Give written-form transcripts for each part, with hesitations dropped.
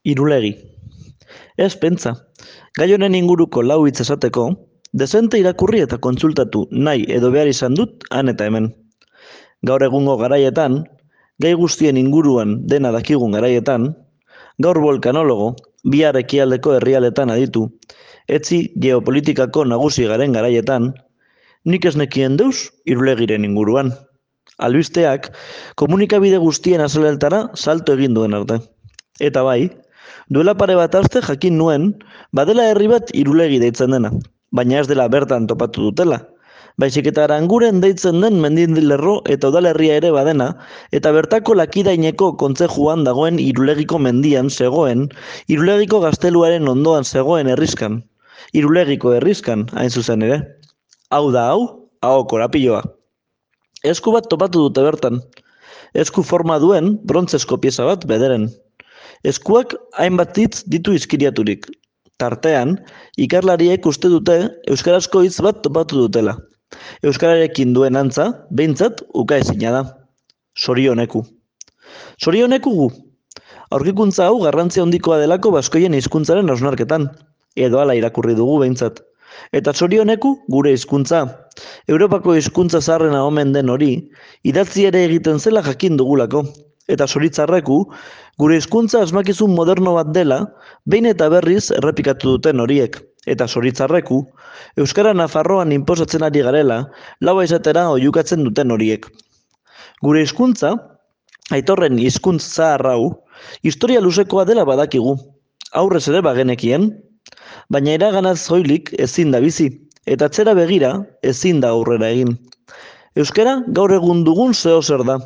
Irulegi. Ez pentsa, gai honen inguruko lau hitz esateko, dezente irakurri eta kontsultatu nahi edo behar izan dut han eta hemen. Gaur egungo garaietan, gai guztien inguruan dena dakigun garaietan, gaur volkanologo, bihar ekialdeko herrialdetan aditu, etzi geopolitikako nagusi garen garaietan, nik ez nekien deus Irulegiren inguruan. Albisteak komunikabide guztien azeleltara salto egin duen arte. Eta bai, duela pare bat aste jakin nuen, badela herri bat Irulegi deitzen dena, baina ez dela bertan topatu dutela. Baizik eta Aranguren deitzen den mendindilerro eta udalerria ere badena, eta bertako Lakidaineko kontzejuan dagoen Irulegiko mendian zegoen, Irulegiko gazteluaren ondoan zegoen herriskan. Irulegiko herriskan, hain zuzen ere. Hau da hau, hau korapiloa. Esku bat topatu dute bertan. Esku forma duen brontzesko pieza bat bederen. Eskuak hainbat hitz ditu izkiriaturik. Tartean, ikerlariek uste dute euskarazko hitz bat topatu dutela. Euskararekin duen antza, behintzat, ukaezina da. Sorioneku. Sorioneku gu. Aurkikuntza hau garrantzia handikoa delako baskoien hizkuntzaren hausnarketan. Edo hala irakurri dugu behintzat. Eta sorioneku gure hizkuntza. Europako hizkuntza zaharrena omen den hori, idatzi ere egiten zela jakin dugulako. Eta zoritzarreku, gure hizkuntza asmakizun moderno bat dela, behin eta berriz errepikatu duten horiek. Eta zoritzarreku, Euskara Nafarroan inposatzen ari garela, laua izatera oihukatzen duten horiek. Gure hizkuntza, aitorren hizkuntz zahar hau, historia luzekoa dela badakigu. Aurrez ere bagenekien, baina iraganaz soilik ezin da bizi, eta atzera begira ezin da aurrera egin. Euskara gaur egun dugun zeozer da.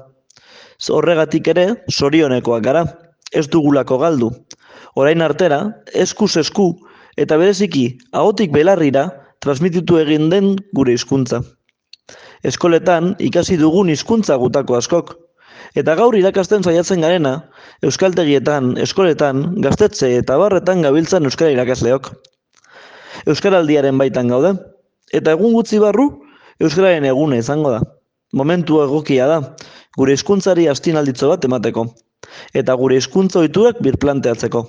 Horregatik ere, sorionekoak gara, ez dugulako galdu. Orain artera, eskuz esku, eta bereziki, ahotik belarrira, transmititu egin den gure hizkuntza. Eskoletan ikasi dugun hizkuntza gutako askok. Eta gaur irakasten saiatzen garena, euskaltegietan, eskoletan, gaztetxe eta barretan gabiltzan euskara irakasleok. Euskaraldiaren baitan gaude, eta egun gutxi barru, euskararen eguna izango da. Momentu egokia da, gure hizkuntzari astinalditzo bat emateko, eta gure hizkuntza ohiturak birplanteatzeko.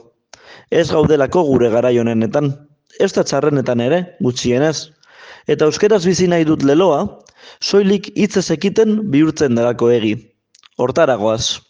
Ez gaudelako gure garai honenetan, ez da txarrenetan ere, gutxienez. Eta euskeraz bizi nahi dut leloa, soilik hitzez ekiten bihurtzen delako egi. Hortara goaz.